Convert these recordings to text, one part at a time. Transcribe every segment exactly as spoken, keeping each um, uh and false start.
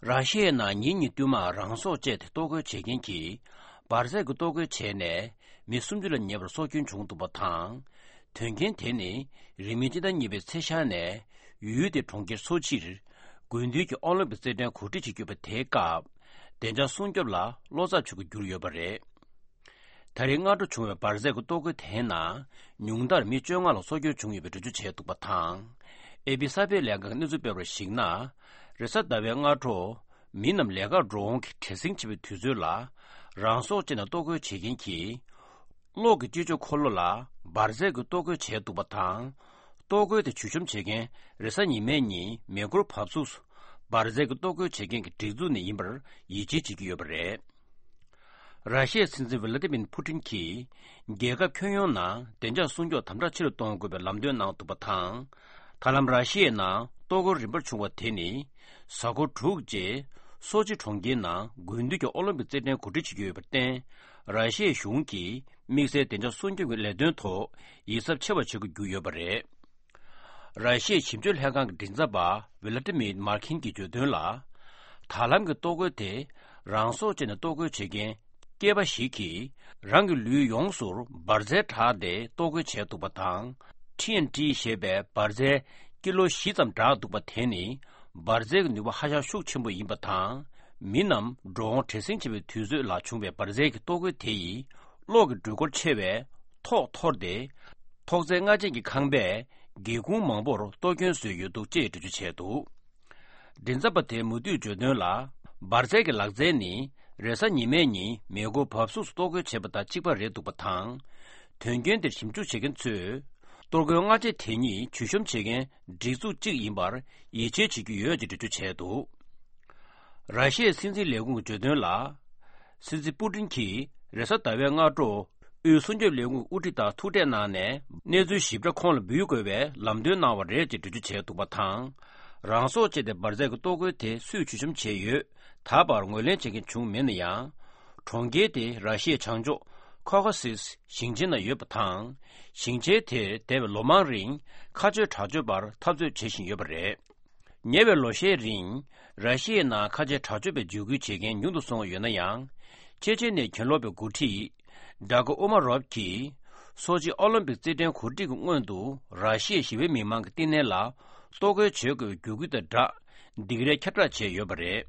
ར་ཤི་ཡའི་ནང་ཉིན་གཉིས་བསྟུད་མར་རང་སྲོག་བཅད་དེ་གཏོར་རྒོལ་བྱེད་མཁན་གྱིས་འབར་རྫས་ཀྱི་གཏོར་རྒོལ་བྱས་ནས་མི་སུམ་ཅུ་ལ་ཉེ་བར་སྲོག་སྐྱོན་བྱུང་འདུག་པ་དང་། དོན་རྐྱེན་དེ་ནི་རིང་མིན་སྤྱི་ཟླ་གཉིས་པའི་ཚེས་ཤར་ནས་ཡུལ་དེའི་གྲོང་ཁྱེར་སོ་ཆིར་དགུན་དུས་ཀྱི་ཨོ་ལིམ་པིག་རྩེད་འགྲན་གོ་སྒྲིག་བྱེད་ཀྱི་ཡོད་པ་དེའི་སྐབས་བདེ་འཇགས་སྲུང་སྐྱོབ་ལ་བློ་འཚབ་བྱེད་དགོས་གྱུར་ཡོད་པ་རེད། ད་རེས་སྔ་དྲོ་བྱུང་བའི་འབར་རྫས་ཀྱི་གཏོར་རྒོལ་དེའི་ནང་ཉུང་མཐར་མི་བཅོ་ལྔ་ལ་སྲོག་སྐྱོན་བྱུང་ཡོད་པའི་འགྲེལ་བརྗོད་བྱས་འདུག་པ་དང་། ཨེ་པི་གསར་སྤེལ་ལས་ཁང་གིས་གནས་ཚུལ་སྤེལ་བར་གཞིགས་ན། རེས་གཟའ་ཟླ་བའི་སྔ་དྲོ། མི་རྣམས་ལས་ཀར་འགྲོ་འོང་གི་བྲེལ་ཟིང་ཆེ་བའི་དུས་ཚོད་ལ། རང་སྲོག་བཅད་ནས་གཏོར་རྒོལ་བྱེད་མཁན་གྱིས། གློག་གི་སྤྱི་སྤྱོད་འཁོར་ལོ་ལ་འབར་རྫས་ཀྱི་གཏོར་རྒོལ་བྱས་འདུག་པ་དང་། གཏོར་རྒོལ་དེ་བྱུས་གཤོམ་བྱེད་མཁན་རེས་གཟའ་ཉི་མའི་ཉིན་མེ་འཁོར་བབས་ཚུགས་སུ་འབར་རྫས་ཀྱི་གཏོར་རྒོལ་བྱེད་མཁན་གྱི་སྒྲིག་འཛུགས་ནས་ཡིན་པར་ཡིད་ཆེས་བྱེད་ཀྱི་ཡོད་པ་རེད། ར་ཤི་ཡའི་སྲིད་འཛིན་ཝི་ལ་ཏི་མིར་ཕུ་ཏིན་གྱིས། རྒྱལ་ཁབ་ཁྱོན་ཡོངས་ནང་བདེ་འཇགས་སྲུང་སྐྱོབ་དམ་དྲག་ཆེ་རུ་གཏོང་དགོས་པའི་ལམ་སྟོན་གནང་འདུག་པ་དང་། ད་ལམ་ར་ཤི་ཡའི་ནང་གཏོར་རྒོལ་རིམ་པར་བྱུང་བ་དེ་ནི། གཟའ་འཁོར་དྲུག་རྗེས། སོ་ཆི་གྲོང་ཁྱེར་ནང་དགུན་དུས་ཀྱི་ཨོ་ལིམ་པིག་རྩེད་འགྲན་གོ་སྒྲིག་བྱེད་ཀྱི་ཡོད་པར་བརྟེན། ར་ཤི་ཡའི་གཞུང་གིས་དམིགས་བསལ་བདེ་འཇགས་སྲུང་སྐྱོབ་ཀྱི་ལས་དོན་ཐོག་ཡིད་གཟབ་ཆེ་བ་བྱེད་དགོས་ཀྱི་ཡོད་པ་རེད། ར་ཤི་ཡའི་ཞིབ་དཔྱོད་ལྷན་ཁང་གི་མགྲིན་ཚབ་པ་ཝི་ལ་ཏི་མིར་མར་ཁིན་གྱིས་བརྗོད་དོན་ལ། ད་ལམ་གྱི་གཏོར་རྒོལ་དེ་རང་སྲོག་བཅད་ནས་གཏོར་རྒོལ་བྱེད་མཁན་སྐྱེས་པ་ཞིག་གིས་རང་གི་ལུས་ཡོངས་སུ་འབར་རྫས་བསྒྲགས་ཏེ་གཏོར་རྒོལ་བྱས་འདུག་པ་དང་། ཊི་ཨེན་ཊི་ཞེས་པའི་འབར་རྫས་ཀི་ལོ་བཞི་ཙམ་བསྒྲགས་འདུག་པ་དེ་ནི་འབར་རྫས་ཀྱི་ནུས་པ་ཧ་ཅང་ཤུགས་ཆེན་པོ་ཡིན་པ་དང་། མི་རྣམས་འགྲོ་འོང་བྲེལ་ཟིང་ཆེ་བའི་དུས་ཚོད་ལ་བྱུང་བའི་འབར་རྫས་ཀྱི་གཏོར་རྒོལ་དེ་ཡིས་གློག་གི་འགྲུལ་འཁོར་ཆེ་བའི་ཐོག་འཐོར་ཏེ། ཐོག་བརྩེགས་ལྔ་ཅན་གྱི་ཁང་པས་སྒེའུ་ཁུང་མང་པོར་གཏོར་སྐྱོན་བཟོས་ཡོད་འདུག་ཅེས་འགྲེལ་བརྗོད་བྱས་འདུག་མགྲིན་ཚབ་པ་དེས་མུ་མཐུད་བརྗོད་དོན་ལ། འབར་རྫས་ཀྱི་ལག་རྩལ་ནི་རེས་གཟའ་ཉི་མའི་ཉིན་མེ་འཁོར་བབས་ཚུགས་སུ་གཏོར་རྒོལ་བྱས་པ་དང་གཅིག་པ་རེད་འདུག་པ་དང་། དོན་རྐྱེན་དེར་ཞིབ་འཇུག་བྱེད་མཁན་ཚོས། གཏོར་རྒོལ་སྔ་རྗེས་དེ་ཉིད་བྱུས་གཤོམ་བྱེད་མཁན་སྒྲིག་འཛུགས་གཅིག་ཡིན་པར་ཡིད་ཆེས་བྱེད་ཀྱི་ཡོད་ཅེས་འགྲེལ་བརྗོད་བྱས་འདུག་ར་ཤི་ཡའི་སྲིད་འཛིན་ལས་ཁུངས་ཀྱིས་བརྗོད་དོན་ལ། སྲིད་འཛིན་པུ་ཏིན་གྱིས་རེས་གཟའ་ཟླ་བའི་སྔ་དྲོ། དབུས་སྲུང་སྐྱོབ་ལས་ཁུངས་དབུ་ཁྲིད་དང་ཐུག་འཕྲད་གནང་ནས། གནས་ཚུལ་ཞིབ་ཕྲ་ཁོང་ལ་འབུལ་དགོས་པའི་ལམ་སྟོན་གནང་བ་རེད་ཅེས་འགྲེལ་བརྗོད་བྱས་འདུག་པ་དང་། རང་སྲོག་བཅད་དེ་འབར་རྫས་ཀྱི་གཏོར་རྒོལ་དེ་སུས་བྱུས་གཤོམ་བྱས་ཡོད། ད་བར་ངོས་ལེན་བྱེད་མཁན་བྱུང་མེད་ན་ཡང་། གྲོང་ཁྱེར་དེ་ར་ཤི་ཡའི་བྱང་ཕྱོགས་ཁོ་ཁ་སིས་ཞིང་ཆེན་ནང་ཡོད་པ་དང་། ཞིང་ཆེན་དེར་འདས་པའི་ལོ་མང་རིང་ཁ་གཅོད་དྲག་སྤྱོད་པར་འཐབ་རྩོད་བྱེད་བཞིན་ཡོད་པ་རེད། ཉེ་བའི་ལོ་ཤས་རིང་། ར་ཤི་ཡའི་ནང་ཁ་ཆེ་དྲག་སྤྱོད་པའི་འཇིགས་སྐུལ་བྱེད་མཁན་ཉུང་དུ་སོང་བ་ཡོད་ན་ཡང་། ཅེ་ཅེ་ནའི་གྱེན་ལོག་པའི་འགོ་ཁྲིད། ཌ་ཀོ་ཨུ་མ་རོབ་ཀྱིས། སོ་ཆི་ཨོ་ལིམ་པིག་རྩེད་འགྲན་གོ་སྒྲིག་གི་སྔོན་དུ་ར་ཤི་ཡའི་ཞི་བའི་མི་མང་གི་བསྟི་གནས་ལ། གཏོར་རྒོལ་བྱེད་དགོས་པའི་བརྒྱུད་སྐུལ་དང་སྦྲགས། སྡིགས་རས་ཁྱབ་བསྒྲགས་བྱས་ཡོད་པ་རེད།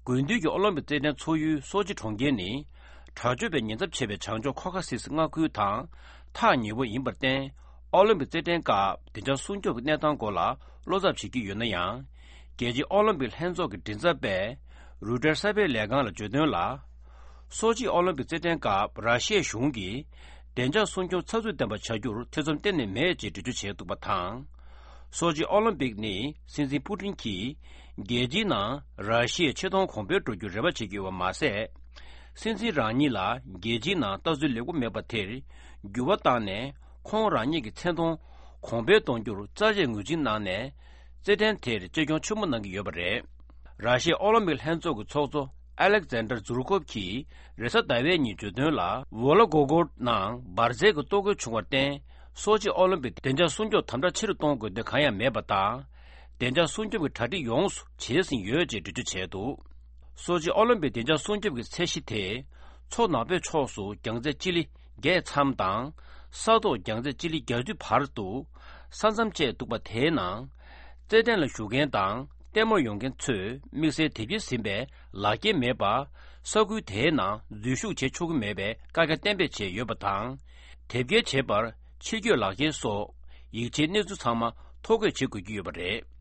དགུན་དུས་ཀྱི་ཨོ་ལིམ་པིག་རྩེད་འགྲན་འཚོགས་ཡུལ་སོ་ཆི་གྲོང་ཁྱེར་ནི། དྲག་སྤྱོད་པའི་ཉེན་ཚབས་ཆེ་བའི་བྱང་ཕྱོགས་ཁོ་ཁ་སིས་མངའ་ཁུལ་དང་ཐག་ཉེ་བོ་ཡིན་པར་བརྟེན། ཨོ་ལིམ་པིག་རྩེད་འགྲན་སྐབས་བདེ་འཇགས་སྲུང་སྐྱོབ་ཀྱི་གནས་སྟངས་སྐོར་ལ་བློ་འཚབ་བྱེད་ཀྱི་ཡོད་ན་ཡང་། རྒྱལ་སྤྱིའི་ཨོ་ལིམ་པིག་ལྷན་ཚོགས་ཀྱི་མགྲིན་ཚབ་པས་རུའུ་ཊར་གསར་སྤེལ་ལས་ཁང་ལ་བརྗོད་དོན་ལ། སོ་ཆི་ཨོ་ལིམ་པིག་རྩེད་འགྲན་སྐབས་ར་ཤི་ཡའི་གཞུང་གིས་བདེ་འཇགས་སྲུང་སྐྱོབ་ཚགས་ཚུད་ལྡན་པ་བྱ་རྒྱུར་ཐེ་ཚོམ་གཏན་ནས་མེད་ཅེས་འགྲེལ་བརྗོད་བྱས་འདུག་པ་དང་། སོ་ཆི་ཨོ་ལིམ་པིག་ནི་སྲིད་འཛིན་པུ་ཏིན་གྱིས་རྒྱལ་སྤྱིའི་ནང་ར་ཤི་ཡའི་ཆེ་མཐོང་གོང་འཕེལ་འགྲོ་རྒྱུར་རེ་བ་བྱེད་ཀྱི་ཡོད་པ་མ་ཟད། སྲིད་འཛིན་རང་ཉིད་ལ་རྒྱལ་སྤྱིའི་ནང་ལྟ་ཚུལ་ལེགས་པོ་མེད་པ་དེར་འགྱུར་བ་བཏང་ནས། ཁོང་རང་ཉིད་ཀྱི་མཚན་མཐོང་གོང་འཕེལ་གཏོང་རྒྱུར་རྩ་ཆེའི་ངོས་འཛིན་གནང་ནས། རྩེད་འགྲན་དེར་གཅེས་སྐྱོང་ཆེན་པོ་གནང་གི་ཡོད་པ་རེད། ར་ཤི་ཡའི་ཨོ་ལིམ་པིག་ལྷན་ཚོགས་ཀྱི་ཚོགས་གཙོ་ཨ་ལེག་ཛན་ཌར་ཛུར་ཀོབ་ཀྱིས་རེས་གཟའ་ཟླ་བའི་ཉིན་བརྗོད་དོན་ལ། ཝོ་ལ་གོ་གོར་ནང་འབར་རྫས་ཀྱི་གཏོར་རྒོལ་བྱུང་བར་བརྟེན། སོ་ཆི་ཨོ་ལིམ་པིག་བདེ་འཇགས་སྲུང་སྐྱོབ་དམ་དྲག་ཆེ་རུ་གཏོང་དགོས་དོན་གང་ཡང་མེད་པ་དང་། བདེ་འཇགས་སྲུང་སྐྱོབ་ཀྱི་གྲ་སྒྲིག་ཡོངས་སུ་བྱས་ཟིན་ཡོད་ཅེས་འགྲེལ་བརྗོད་བྱས་འདུག་སོ་ཆི་ཨོ་ལིམ་པིག་བདེ་འཇགས་སྲུང་སྐྱོབ་ཀྱི་ཚད་གཞི་དེ། མཚོ་ནག་པོའི་ཕྱོགས་སུ་རྒྱང་ཚད་སྤྱི་ལེ་བརྒྱད་མཚམས་དང་། ས་ཐོག་རྒྱང་ཚད་སྤྱི་ལེ་བརྒྱད་ཅུ་བར་དུ་ས་མཚམས་བཅད་འདུག་པ་དེའི་ནང་། རྩེད་ཐང་ལ་བཞུགས་མཁན་དང་ལྟད་མོར་ཡོང་མཁན་ཚོས་དམིགས་བསལ་དེབ་སྐྱེལ་ཟིན་པའི་ལག་འཁྱེར་མེད་པར། ས་ཁུལ་དེའི་ནང་འཛུལ་ཞུགས་བྱེད་ཆོག་གི་མེད་པའི་བཀའ་རྒྱ་གཏན་འབེབས་བྱས་ཡོད་པ་དང་། དེབ་སྐྱེལ་བྱེད་པར་ཕྱིར་སྐྱོད་ལག་འཁྱེར་སོགས་ཡིག་ཆའི་གནས་ཚུལ་ཚང་མ་ཐོ་འགོད་བྱེད་དགོས་ཀྱི་ཡོད་པ་རེད།